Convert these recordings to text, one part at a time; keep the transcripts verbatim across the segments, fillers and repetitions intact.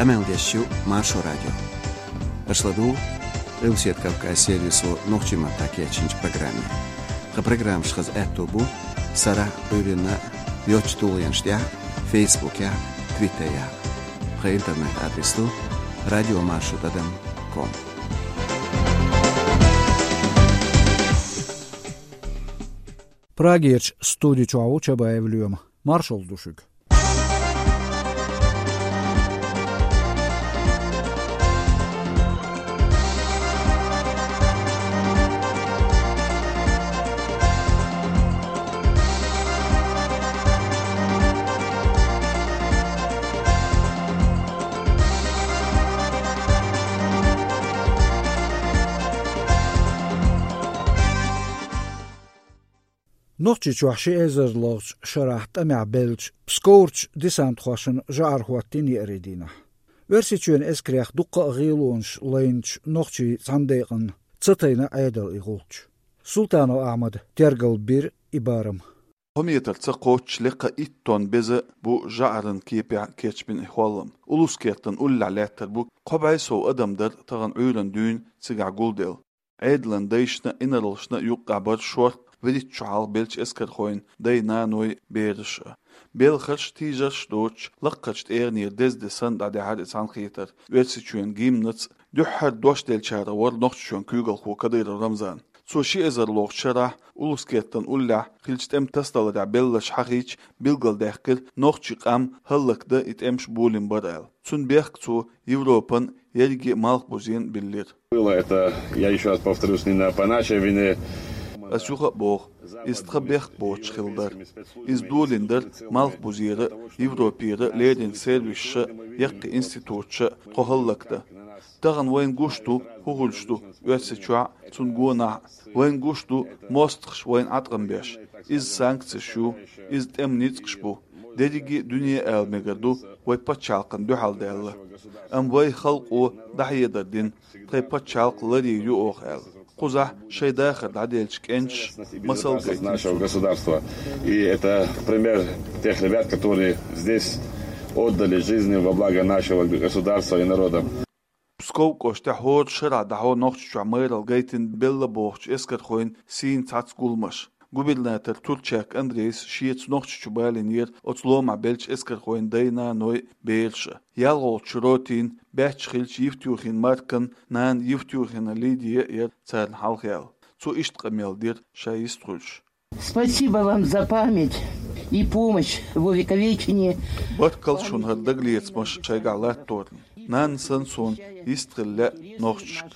Къамел деш ю Маршо радио. Аша ладугӀу Къилбаседа Кавказ сервисо нохчийн маттахь кечйинчу программе. Тхан программаш хаза аьтто бу сарахь а, Ӏуьйранна а йоцачу тулгӀенаш тӀехь а, Фейсбукехь а, Твиттерехь а. Тхан интернет-адрес ду радиомаршо тӀадам ком. Прагерчу студи чохь ву Чабаев Лоьма. Маршалла ду шуьга. Нохчийчохь ши эзар лгӀачу шарахь тӀамехь беллачу Псковарчу десантхошна жӀар хӀоттийна еарин дийнахь. Оьрсийчоьнан эскарех дуккха а гӀелонаш лайначу нохчийн цхьана декъана ца тайна Ӏедал и гӀулч. Султанов Ахьмада тергал бира и барам. Кхо метр ца кхоччуш, лекха итт тонн беза бу жӀаран кепехь кечбина и хӀоллам. Улус-Кертан уллехь лаьттар бу. Кхо бӀе сов адам дара тахана Ӏуьйранна дуьйна цигахь гулделла. Ӏедалан дайшна а, инарлашна а юккъехь бара шорта вуьрхӀитта шо хьалха беллачу эскархойн дай-наной, бераш а. Белхарш а, тийжарш а доцуш, лакхарчу тӀегӀанера деза де санна дӀадаьхьира и цхьаьнакхетар, Оьрсийчоьнан гимнаца а. Дуьххьара дош деллачарах вара Нохчийчоьнан куьйгалхо Кадыров Рамзан. Цо ши эзар лгӀачу шарахь Улус-Кертан уллехь хиллачу тӀематасадаларехь белларш хьахийча, билгалдаьккхира, нохчийн къам хӀаллакдан и тӀемаш болийна бара аьлла. Цунна бехк цо Европан ерриге а малхбузена биллира. Было это, я ещё раз повторюсь, не на, по нашей вине. Ас юха а боху, иза тхан бехк боцуш хилла дара. Иза долийна дара малхбузера а, Европера а леррина сервисаша а, яккхий институташа а тхо хӀаллакдан. Тахана вайна гуш ду, хӀун хуьлуш ду Оьрсийчохь а, цунна гонахь а. Вайна гуш ду мостагӀаш вайна Ӏаткъам беш. Иза санкцеш ю, иза тӀеман ницкъаш бу. Дерриге а дуьне ала мегар ду, вай пачхьалкхана дуьхьал даьлла. Амма вай халкъо дӀахьедар дина, тхайн пачхьалкх ларйийр ю оха аьлла. Кхузахь шайн дахар дӀаделлачу кӀенташа масал гайтина. Нашего государства. И это пример тех ребят, которые здесь отдали жизни во благо нашего государства и народа. Псков кӀоштехь хӀора шарахь дӀахьо Нохчийчохь майралла гайтина белла бохучу эскархойн сийна цхьацца гуламаш. Губернатор Турчак Андрейс шеца Нохчийчу балийнера оцу ломахь беллачу эскархойн дай-наной, бераш а. ЯлхолгӀачу ротин баьчча хиллачу Евтюхин Маркан нана Евтюхина Лидия а яра царна хьалха яьлла. Цо иштта къамел дира ша йист хуьлуш. Спасибо вам за память и помощь в увековечении. Баркалла шуна хӀара дагалецамаш шайгахь латторна. Нана санна суна йист хила лаьа нохчашка.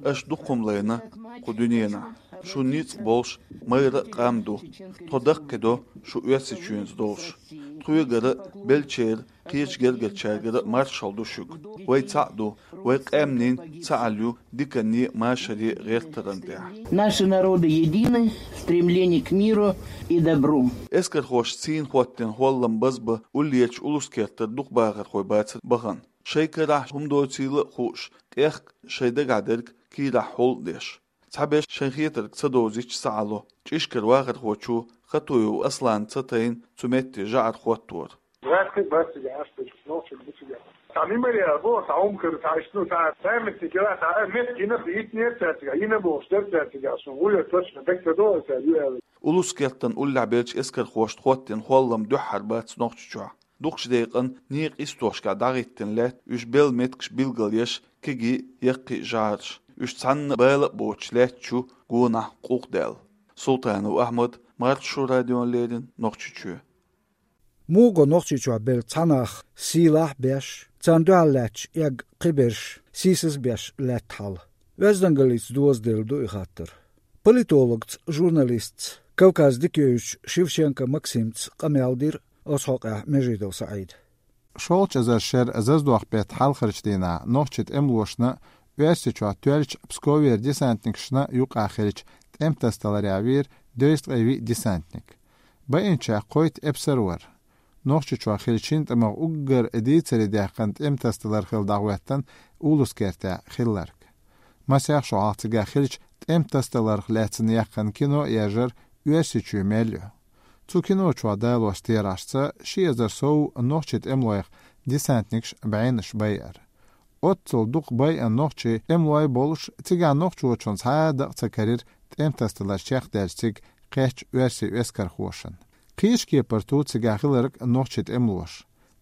Аша дукха хӀума лайна кху дуьненахь. Шун ницкъ болуш майра а къам ду. Тхо даккхийдо шу Оьрсийчоьнца долуш. Тхоьгара а, беллачеран кхечу гергарчаьргара а маршалла ду шуьга. Вай цхьаъ ду, вай къаьмнийн цхьаалла ю диканне а, машаре а гӀертаран тӀехь. Наши народы едины в стремлении к миру и добру. Эскархошца сийна хӀоттийна хӀоллам базбан уллерчу Улус-Кертара дукха бахархой бацара бахана. Шайн карахь хӀума доцийла а хууш, тӀехка шайн дагахь дерг кийрахь хьул а деш. Цхьаберш шайн хетарг ца довзийта схьаало. ЧӀишкара вахархочо Хатуев Асланна ца тайна цу метте жӀар хӀоттор. Бац, бац, цигахь, аш дерг нохчий бу цигахь. Цхьа мемориал бу, цхьа хӀума кара, цхьа иштта, ну, цхьа памятник яра, цхьа, э, метка йина, йитинера цара цигахь, йина бохуш дара цара цигахь, шуна вуьйр точно дага ца до, цара ю аьлла. Улус-Кертан уллехь беллачу эскархошца хӀоттийна хӀоллам дуьххьара бац Нохчийчохь. Дукхачу декъана некъан йистошкахь дӀахӀиттина лаьтта уьш белла меттигаш билгалъеш, кегий, яккхий жӀараш. Уьш цхьанна бала а боцуш лаьтташ ю гонахь къуллукъ даьлла. Султанов Ахьмад, Маршо радиона леррина, Нохчийчоь. Муха го Нохчийчохь белла цхьа нах сийлахь а беш, царна дуьхьал лаьтташ эгна кхиберш сийсаз а беш лаьтта хьал? Оьздангаллица дозаделла ду и хаттар. Политологца, журналистца, Кавказ дика йовзачу Шевченко Максимца къамел дира оцу хьокъехь Межидов СаӀида. ШолгӀачу эзар шеран зазадоху беттан хьалхарчу дийнахь нохчийн тӀемалошна а, Оьрсийчохь тоьллачу Псковера десантникашна а юкъахь хиллачу тӀематасадаларехь вийра дезткъе виъ десантник. Баинчех кхойтта эпсар вара. Нохчийчохь хиллачу шина тӀамах уггар дийцаре даьккхина тӀематасадалар хилла дӀахӀоьттина Улус-Кертехь хилларг. Масех шо хьалха цигахь хиллачу тӀематасадаларх лаьцна яьккхина кино а яржара Оьрсийчоь мел ю. Цу кино чохь далочу терахьашца ши эзар сов нохчийн тӀемалойх десантникаш бӀеннаш байар. Оццул дукха байъина нохчий тӀемалой болаш, цигахь нохчочунна цхьа а дакъа ца карийра тӀем тасадалар чекхдаьлча цига кхаьчча оьрсийн эскархошна. Кхечу кепара ту цигахь хилларг нохчий тӀемалош.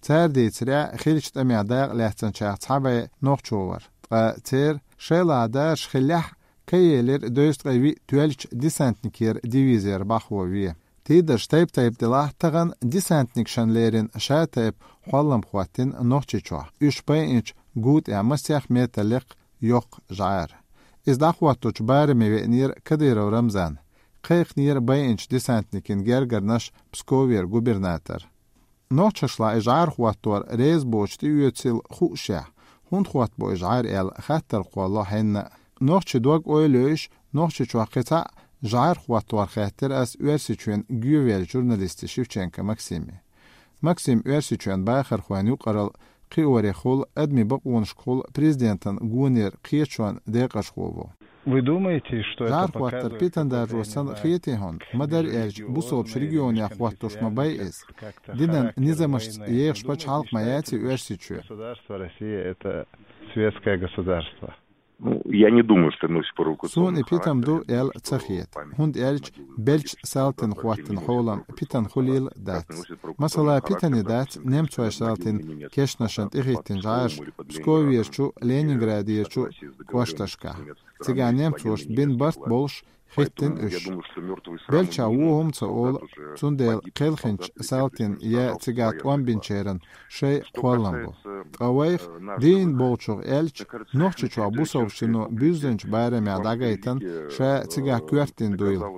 Цара дийцарехь, хиллачу тӀамехь дакъа лаьцначех цхьа бӀе нохчо вара, ткъа церан шайла даржаш хиллехь, кхайелира дезткъе виъ тоьллачу десантникера дивизера бӀахо вен. Тидарш тайп-тайпа делахь, тахана десантникашна лерина шатайпа хьолам хӀоттийна Нохчийчохь, уьш байинчу гу тӀехь масех метр лекха йоккха жӀара. Иза дӀахӀотточу бараме веанера Кадыров Рамзан, кхайкхинера байинчу десантникийн гергарнаш Псковера губернатор. Нохчашлахь и жӀара хӀоттор реза боцуш тӀеоьцийла хуушехь, хӀунда хӀоттабо и жӀара аьлла, хаттар кхолло хьенна а. Нохчийн дог-ойла йойуш, Нохчийчохь кхин цхьа а жӀара хӀоттор хаьттира ас Оьрсийчоьнан гӀевеллачу журналисте Шевченко Максиме. Максим Оьрсийчоьнан бахархойн юкъаралла кхиорехула, адамийн бакъонашкахула, президентан гонера кхеташонан декъашхо ву. Вы думаете, что это показывает... ЖӀара хӀоттар питана даржо санна хетий хьуна? Ма-дарра аьлча, бусалбачу регионехь хӀоттош ма бай иза. Динан низамашца ехаш пачхьалкх ма яций Оьрсийчоь. Государство Россия — это светское государство. Ну, я не думаю, что носит провокационный характер. Суна и питана ду аьлла ца хета, хӀунда аьлча беллачу салтина хӀоттийна хьолам питана хуьлийла дац. Масала, питане дац немцойн салтина кешнашна тӀехӀиттина жӀараш Псковерчу, Ленинградерчу кӀошташкахь. Цигахь немцошна бина барт болуш хӀиттина уьш. Беллачех вон хӀума ца олу, цундела кхелхинчу салтина я цигахь тӀом бинчеран шайн кхоллам бу. Ткъа вайх, дийна болчух аьлча, Нохчийчохь бусалбачу дино буьззинчу барамехь дӀагайтина, ша цигахь коьртаниг дуйла.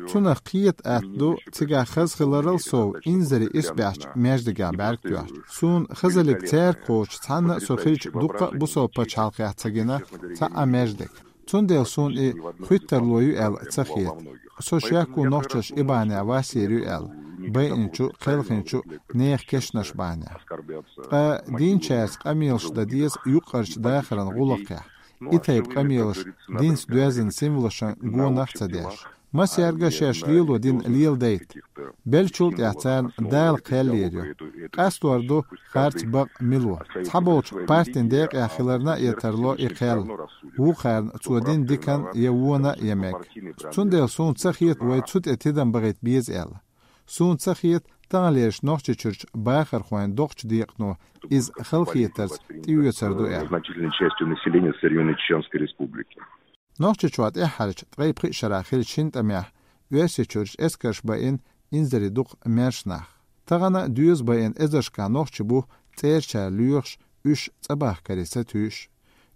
Цунах кхета атта ду, цигахь хаза хиларал сов, инзаре исбаьхьчу маьждигехь бӀаьрг тоьхча. Суна хазаллиг цаьрга кхочуш цхьанна а со хилча дуккха а бусалба пачхьалкхехь ца гина цхьа а маьждиг. Цундела суна и хуьттарло ю аьлла ца хета. Со шек ву нохчаш и бахьанехь вассийр ю аьлла, байинчу, кхелхинчу нехан кешнаш бахьанехь. Ткъа дийначаьрца къамелаш дан деза юккъерчу дахаран гӀуллакхехь. И тайпа къамелаш динца доьзна символашна гонах а ца деш. Массаьрга а шаьш лело дин леладайта. Беллачул тӀаьхьа царна Дала кхел лелайо. Къастор ду харц бакъ мила ву. Цхьаболчу партин декъехь хиларна а тарло и кхел. Вукхарна цо дина диканна я вонна а ян мега. Цундела суна ца хета вай цу тӀе тидам бахийта беза аьлла. Суна ца хета таханлерчу Нохчийчуьрчу бахархойн доккхачу декъано иза халахетарца тӀеоьцур ду аьлла. Значительной частью населения современной Чеченской Республики. Нохчийчохь тӀаьххьарчу ткъе пхи шарахь хиллачу шина тӀамехь Оьрсийчуьрчу эскарша байина инзаре дукха маьрша нах. Тахана доьза байина эзаршкахь нохчий бу цӀерачара лоьхуш, уьш цӀа бахкаре сатуьйсуш.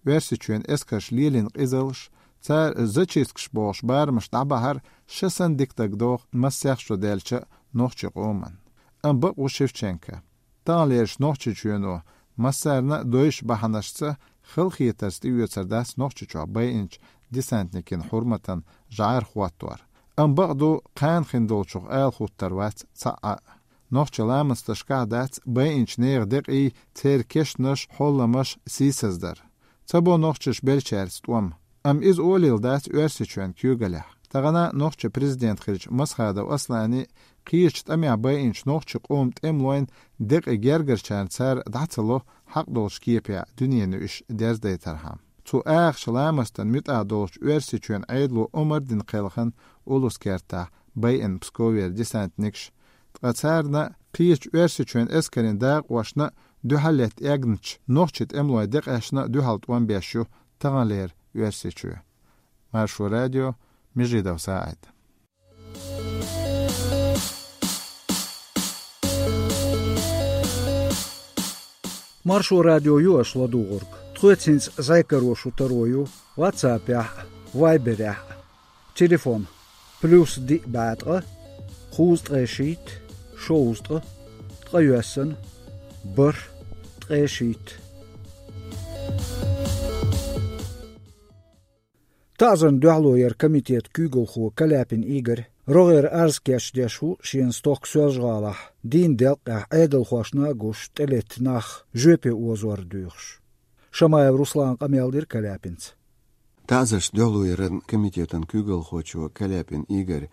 Оьрсийчоьнан эскарша лелийна къизаллаш, цара зачисткаш бохуш барамаш дӀабахьар шасанна дика дагадогӀу массех шо даьллачу нохчийн къоман. Амма бакъ ву Шевченко. Таханлерчу Нохчийчоьно массарна а дойчу бахьанашца халахетарца тӀеоьцур дац Нохчийчохь байинчу десантникийн хьурматан жӀара хӀоттор. Амма бакъ ду, кхана хин долчух ала хӀуттур вац цхьа а. Нохчийн ламасташкахь дац байинчу нехан декъий, церан кешнаш, хьолламаш сийсаздар. Ца бо нохчаша беллачаьрца тӀом. Амма иза олийла дац Оьрсийчоьнан куьйгаллехь. Тахана нохчийн президент хиллачу Масхадов Аслана кхечу тӀамехь байинчу нохчийн къоман тӀемалойн декъий гергарчарна цара дӀа ца ло хьакъ долчу кепехь дуьненан уьш дерзадайтархьама. Цу ахча ламастан муьтӀахь долчу Оьрсийчоьнан Ӏедало омра дина кхелхина улусан кертахь байина Псковера десантникаш, ткъа царна кхечу Оьрсийчоьнан эскарийн дакъошна дуьхьал летта эгначу нохчийн тӀемалойн декъешна дуьхьал тӀом беш ю таханлера Оьрсийчоь. Маршо радио, Межидов СаӀид. Маршо радио ю аша ладугӀург. Тхоьца хӀинца зӀе каро шу таро ю WhatsApp-ехь а, Viber-ехь а. Телефон: плюс диъ бӀе ткъа, кхузткъе шийтта, шовзткъа, ткъайоьсна, бархӀ, ткъе шийтта. ТаӀзарна дуьхьало яра комитетан куьйгалхо Каляпин Игорь, рогӀера арз кечдеш ву шена стохка Соьлжа-ГӀалахь, дийнан делкъехь Ӏедалхошна а гуш тӀелетта нах жоьпе озор доьхуш. Шамаев Руслана къамел дира Каляпинца. ТаӀзаршна дуьхьало яран комитетан куьйгалхочо Каляпин Игорь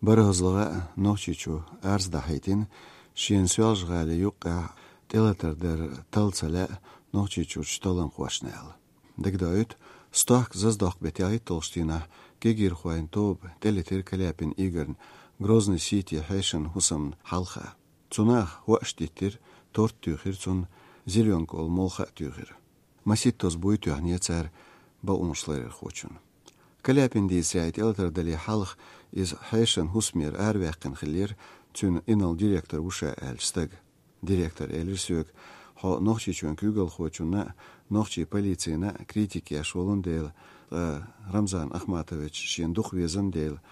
бархӀазлагӀа а Нохчийчу арз дахьийтина, шена Соьлжа-ГӀалин юккъехь тӀелатар дар талла ца лаьа Нохчийчуьрчу талламхошна аьлла. Дагадоуьйту, стохка-заздоккху беттан ялхитталгӀачу дийнахь кегийрхойн тоба тӀелетира Каляпин Игорьна Грозный-Сити хьешан хӀусамна хьалха. Цу наха хӀоаш диттира, торт туьйхира цунна, зелёнка олу молха а туьйхира. Маситтаза буй тоьхна цара бакъонаш ларъярхочунна. Каляпин дийцарехь, и тӀелатар дале хьалха иза хьешан хӀусамера араваьккхина хиллера цуьнан инарла директор ву ша аьллачу стага. Директора элира соьга: «Хьо Нохчийчоьнан куьйгалхочунна а, нохчийн полицина а критика еш волун дела, ткъа Рамзан Ахматович шена дукха везан дела,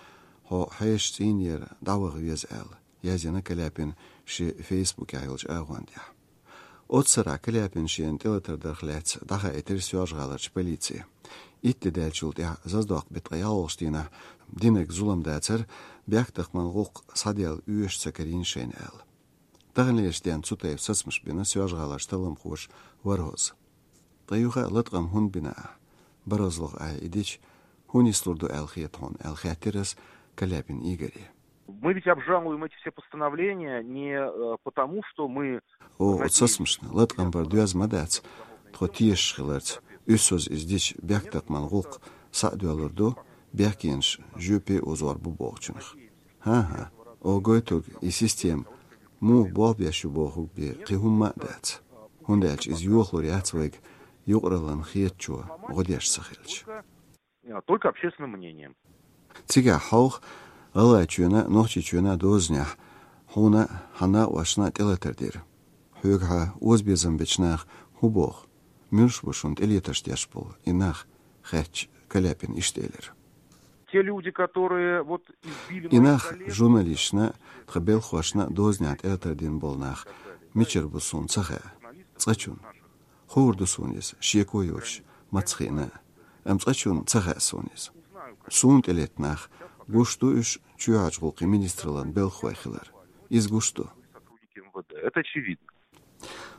хьо хьешан цӀийнера дӀаваха веза», — аьлла, яздина Каляпина шен Фейсбукехь йолчу агӀон тӀехь. Оццу сарахь Каляпина шена тӀелатар дарх лаьцна дӀахаийтира Соьлжа-ГӀаларчу полице. Итт де даьллачул тӀаьхьа, заздоккху беттан ткъе ялхалгӀачу дийнахь, динарг зулам дацара, бехктакхаман гӀуллакх схьаделла оьшуш ца карийна шайна аьлла. Таханлерчу денна цу тайпа сацамаш бина Соьлжа-ГӀаларчу талламхоша ворхӀазза. Ткъа юха а латкъам хӀунда бина ахь? БархӀазлагӀа ахь и дича, хӀун нислур ду аьлла хета хьуна, аьлла хаьттира ас Каляпин Игоре. Мы ведь обжалуем эти все постановления не э, потому, что мы... Оха оцу сацамашна латкъам бар доьзна ма дац, тхо тешаш хиларца, уьссазза иза дича, бехктакхаман гӀуллакх схьа а доьллур ду, бехкенаш жоьпе озор бу бохучунах. ХӀан-хӀа, оха гойтург и система муха болх беш ю бохург бен кхин хӀумма а дац. ХӀунда аьлча иза йохалур яц вайга юкъараллин хетачо гӀо деш ца хилча. Только общественным мнением. Цигахь хьовха, ГӀалгӀайчоьнан а, Нохчийчоьнан а дозанехь хьуна а, хьан накъошна а тӀелатар дира. Хьоьгахьа озабезам бечу наха хӀун боху? Муьлш бу шуна тӀелетарш деш болу и нах? — хаьттича, Каляпина иштта элира. Те люди, которые вот избили... И моих нах коллег, журналисташна а, тхан белхахошна а дозанехь тӀелатар дина болу нах, мичара бу суна ца хаьа. Цкъачунна. Хуур ду суна иза, шеко йоцуш, маца хиъна а. Амма цкъачунна ца хаьа суна иза. Суна тӀелетта нах, гуш ду уьш чоьхьарчу гӀуллакхийн министраллан белхахой хилар. Иза гуш ду. Сотрудники МВД. Это очевидно.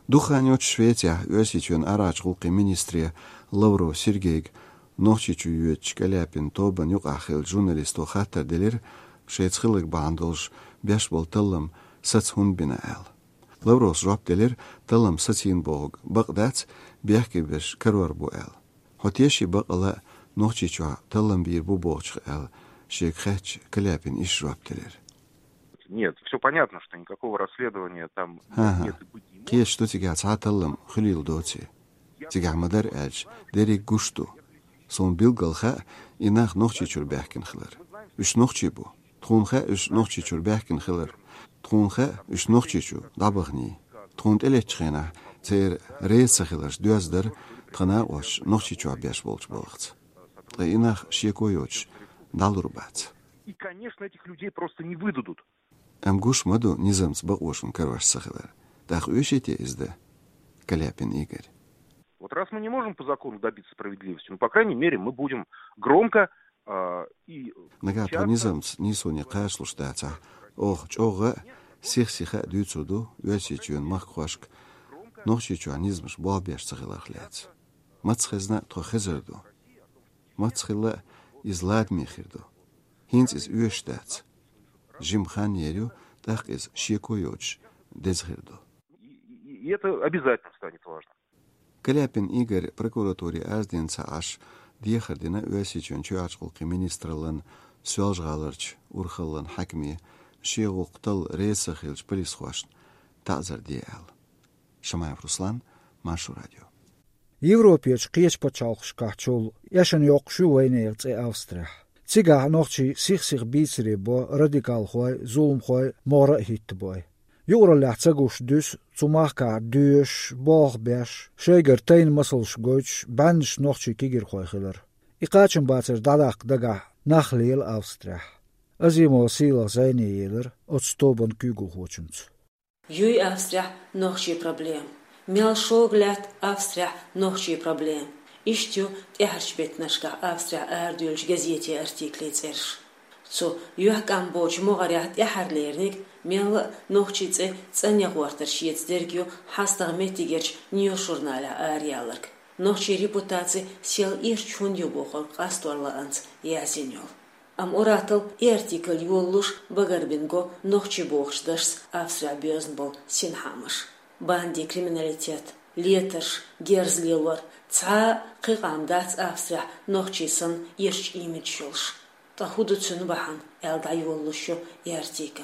Дукха хан йоццуш Швецехь Оьрсийчоьнан арахьарчу гӀуллакхийн министре Лавров Сергейга Нохчийчу йоьдучу Каляпин тобанна юкъахь хиллачу журналисто хаттар делира, шайца хилларг бахьана долуш беш болу таллам саца хӀунда бина аьлла. Лавровс жоп делира, таллам сацийна бохург бакъ дац, бехке берш карор бу аьлла. Хьо теший бакъалла а Нохчийчохь таллам бийр бу бохучух аьлла, шега хаьттича, Каляпина иштта жоп делира. Нет, все понятно, что никакого расследования там... ХӀан-хӀа. Нет и быть не может. Кхеташ ду цигахь цхьа а таллам хуьлийла доций. Цигахь ма-дарра аьлча, дерриг гуш ду. Суна билггал хаьа и нах Нохчийчуьра баьхкина хилар. Уьш нохчий бу. Тхуна хаьа уьш Нохчийчуьра баьхкина хилар. Тхуна хаьа уьш Нохчийчу дӀабаханий. Тхуна тӀелеттачу хенахь церан реза ца хиларш доьзна дара тхан накъосташа Нохчийчохь беш болчу балхаца. Ткъа и нах шеко йоцуш дӀалур бац. И, конечно, этих людей просто не выдадут. Амма гуш ма ду низамца бакъо шуна карош ца хилар. ТӀаккха оьший те иза дан, Каляпин Игорь? Вот раз мы не можем по закону добиться справедливости, ну, по крайней мере, мы будем громко, а, и... Нагахь тхо часто низамца нийсоне кхачалуш дацахь, оха чӀогӀа а, сих-сиха а дуьйцур ду Оьрсийчоьнан махкахошка Нохчийчохь низамаш болх беш ца хиларх лаьцна. Маца хезна а тхо хезар ду. Маца хилла а иза ладаме хир ду. ХӀинца иза оьшуш дац. Жима хан ер ю, тӀаккха иза шеко йоцуш деза хир ду. И, и, и это обязательно станет важным. Каляпин Игорь прокуратуре арадина ца Ӏаш, дехар дина Оьрсийчоьнан чоьхьарчу гӀуллакхийн министраллан, Соьлжа-ГӀаларчу урхаллан хьаькаме, шен гӀуллакх талла реза ца хиллачу полисхошна таӀзар де аьлла. Шамаев Руслан, Маршо радио. Европерчу кхечу пачхьалкхашкахьчул эшна йоккхуш ю вайнехан цӀе Австрехь. Цигахь нохчий сих-сиха бийцаре бо радикалхой, зуламхой, могӀара а хӀиттабой. Юкъараллехь ца гуш дуьсу цу махкахь доьшуш, болх беш, шайгара тайна масалш гойтуш, бӀеннаш нохчий кегирхой хилар. И кхачамбацар дӀадаккха дагахь нах лела Австрехь. Азимова Сийлахь зӀене елира оцу тобанан куьйгалхочуьнца. Юй Австрехь нохчийн проблема. Мел шога лаьтта Австрехь нохчийн проблема. Иштта ю тӀаьхьарчу беттанашкахь Австрехь арадуьйлучу газетийн артиклийн цӀераш. Цу юьхькӀам боцчу могӀарехь тӀаьхьарлерниг, мелла а нохчийн цӀе цӀанъян гӀортар шеца дерг ю хьастагӀа меттигерчу Ньюс журналехь араяьлларг. Нохчийн репутаци сел ирча хӀунда ю бохург къастор лаьцна яздина йолу. Амма ур-атталла и артикль йолалуш багарбина го нохчий бохучу дашца Австрехь боьзна болу синхаамаш. Банди криминалитет, летарш, герз лелор, цхьа а кхин къам дац Австрехь нохчий санна ирча имидж йолуш. Ткъа хӀун ду цуьнан бахьана, аьлла дӀайолалуш ю и артикл.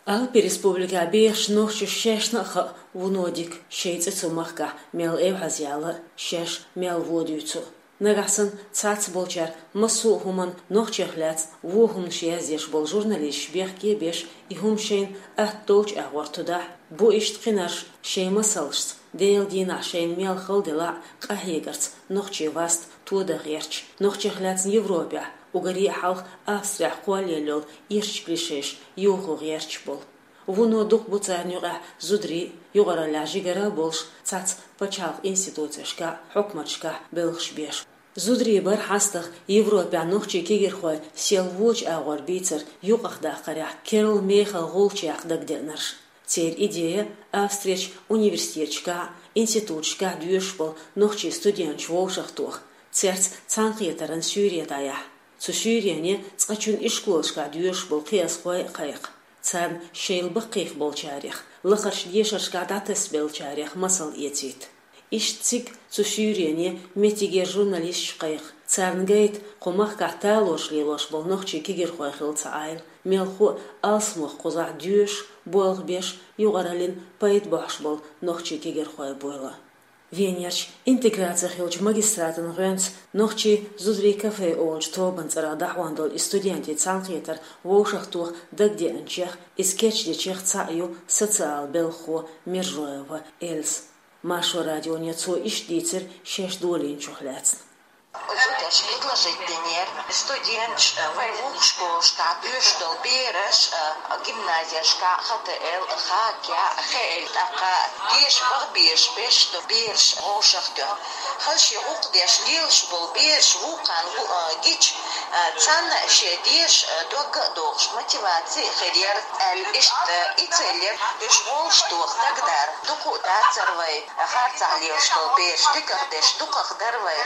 Алпи республикехь бехачу нохчашна шаьшна а хаьа вуно дика, шайн цӀе цу махкахь мел эвхьазъяла а, шаьш мел вон дуьйцу а. Нагахь санна цхьацца болчара массо а хӀуманна нохчех лаьцна вон хӀуманаш яздеш болу журналисташ бехке а беш, и хӀума шайна атта долчу агӀор тудахь, бу иштта кхинарш шайн масалшца, Делан дийнахь шайна мел хала делахь а, къахьегарца нохчийн васт тодан гӀерташ, нохчех лаьцна Европехь, уггаре а хьалха Австрехь кхоллаелла йолу ирча клишеш юхо гӀерташ болу. Вуно дукха бу царна юкъахь зударий а, юкъараллехь жигара а болуш, цхьацца пачхьалкхан институцешкахь а, хьукматашкахь а белхаш беш. Зударий бара хьастагӀа Европехь нохчийн кегийрхой сел вочу агӀор бийцар юкъахдаккхарехь керла мехала гӀулч яккха дагадеанарш. Церан идея Австрерчу университеташкахь а, институташкахь а доьшуш болу нохчийн студенташ вовшахтоха, цаьрца цхьаьнакхетаран суьйре дӀаяхьа. Цу суьйрене цкъачунна ишколашкахь доьшуш болу кхиазхой а кхайкха. Царна шайл баккхийх болчарех, лакхарчу дешаршкахь дӀатасабеллачарех масал эцийта. Иштта цига цу суьйрене меттигера журналисташ кхайкха. Царна гайта, кху махкахь талораш лелош болу нохчийн кегийрхой хилла цхьа Ӏайла, мелхо а алсамох кхузахь доьшуш, болх беш, юкъараллин пайда бохьуш болу нохчийн кегийрхой буйла. Венерчу интеграци хиллачу магистратан гӀоьнца «Нохчийн зударийн кафе» олучу тобанан цӀарах дӀахьон долу и студентийн цхьаьнакхетар вовшахтоха дагадеанчех, иза кечдечех цхьаъ ю социал белхахо Мержоева Эльза. Маршо радионе цо иштта дийцира шаьш долийначух лаьцна. Зудаш предложить динера, студенташ, э, вай вукху школашкахь доьшуш долу бераш, э, гимназияшкахь, Х Т Л, Х К, Х Л, тӀаккха деша баха безаш беш ду бераш вовшахтоьхна. Хала шен гӀуллакх деш лелаш болу бераш вукхарна гу-, э, гича, э, царна шен дешаш, э, догга а дохуш, мотиваци а хир яра аьлла, иштта, э, и цель яра уьш вовшахтоха дагадара. Дукха а дацара вай харцахь лелаш долу бераш, дикахдеш дукхахдара вай.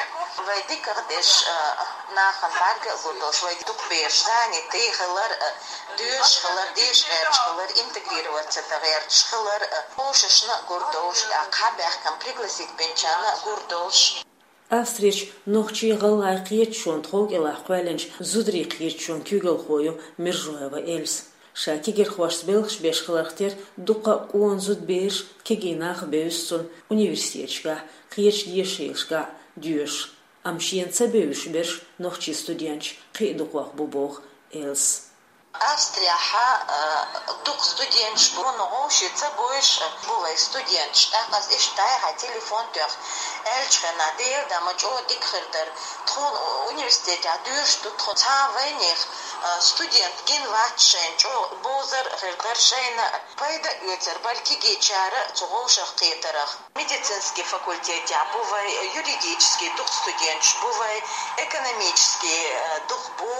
Вай дикахдеш, а, нахана бӀаьрга а гур долуш, вай дукха бераш занятый хилар а, доьшуш хилар, деша гӀерташ хилар, интегрироваться дан гӀерташ хилар а, вовшашна а гур долуш, тӀаккха хьабаьхкина пригласить бинчарна а гур долуш. Австрерчу нохчийн-гӀалгӀайн кхеташонан тховкӀелахь кхоьллинчу зударийн кхеташонан куьйгалхо ю Мержоева Эльза. Ша кегийрхошца белхаш беш хиларх тера дуккха а къона зудабераш, кегий нах а бевза цунна университеташкахь, кхечу дешархошкахь доьшуш. Амма шена ца бевзаш берш нохчийн студенташ кхин а дукхох бу, боху Эльзас. Австрияхь, а, дукха студенташ бу, но вовшийн ца бевзаш бу вай студенташ. ТӀаккха ас иштта дӀаяхьа телефон тоьхна, аьллачу хенахь, Дела дан ма чӀогӀа дика хир дара. Тхуна университетехь доьшуш ду тхо, цхьа а вайнех, а, студент гина вац шайна, чӀогӀа бовзар а хир дара шайна, пайда а оьцур бара кегийчара цу вовшахкхетарх. Медицинский факультетехь бу вай, юридический дукха студенташ бу вай, экономический, э, дукха бу,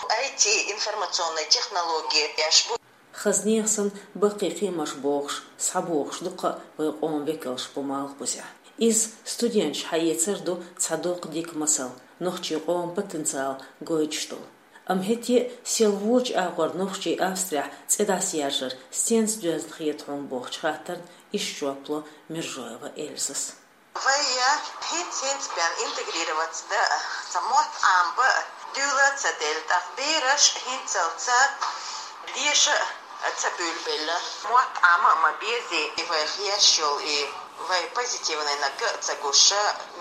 I T, информационный технологияш бу. Хазнех санна баккхий кхиамаш бохуш, схьабохуш дуккха а вайн къоман векалш бу Малхбузехь. Иза студенташ хьаэцар ду цхьа доккха дика масал, нохчийн къоман потенциал гойтуш долу. Амма хӀетте а сел вочу агӀор нохчий Австрехь цӀе дӀасаяржар стенца доьзна хета хьуна бохучу хаттарна иштта жоп ло Мержоева Эльзас. Вай я хӀинца-хӀинца бен интегрироваться дан а, цхьа мотт Ӏамабан а дуьйла а ца делла, тӀаккха бераш хӀинццалц деша а ца буьйлабелла. Мотт Ӏама а ма безий, и вайх еш йолу и вай позитивнайниг а ца гуш,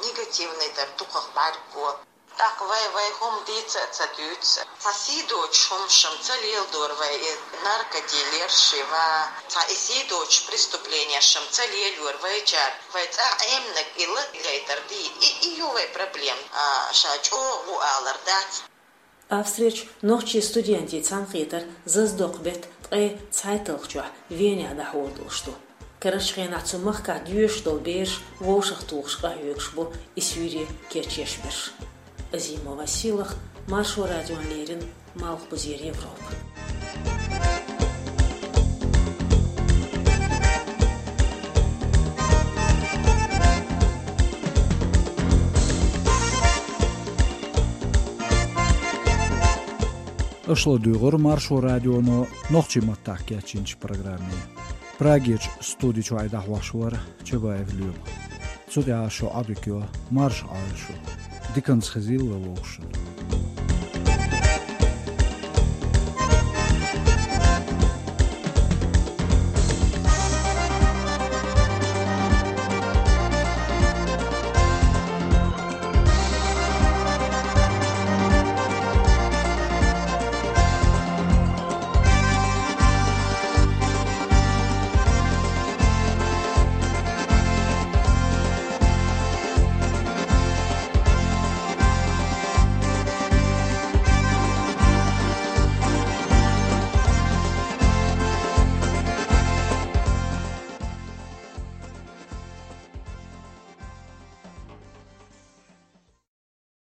негативнай тӀера дукхах бӀаьрго. ТӀаккха вай, вай хӀума дийца а ца дуьйцу. Цхьа сий доцуш хӀумаш-м ца леладора вай, и наркодилерш и ва, цхьа и сий доцуш преступленеш-м ца лелайора вайчара. Вай цӀа Ӏемнаг и латгайтар ди, и, и ю вай проблема, а, ша чӀогӀа ву алар дац. Австрерчу нохчийн студентийн цхьаьнакхетар заздоккху беттан ткъе цхьайтталгӀачохь Венехь дӀахьор долуш ду. Карарчу хенахь цу махкахь доьшуш долу бераш вовшахтухуш къахьоьгуш бу и суьйре кечъеш берш. Азимова Сийлаха, Маршо радиона леррина, Малхбузера Европа. Аша ладуьйгӀура Маршо радионо нохчийн маттахь кечйинчу программе. Прагерчу студи чохь и дӀахьош вара Чабаев Лоьма. Цу тӀехь шун Ӏодика йо, марша Ӏойла шу. Диканца хезийла вовшашна.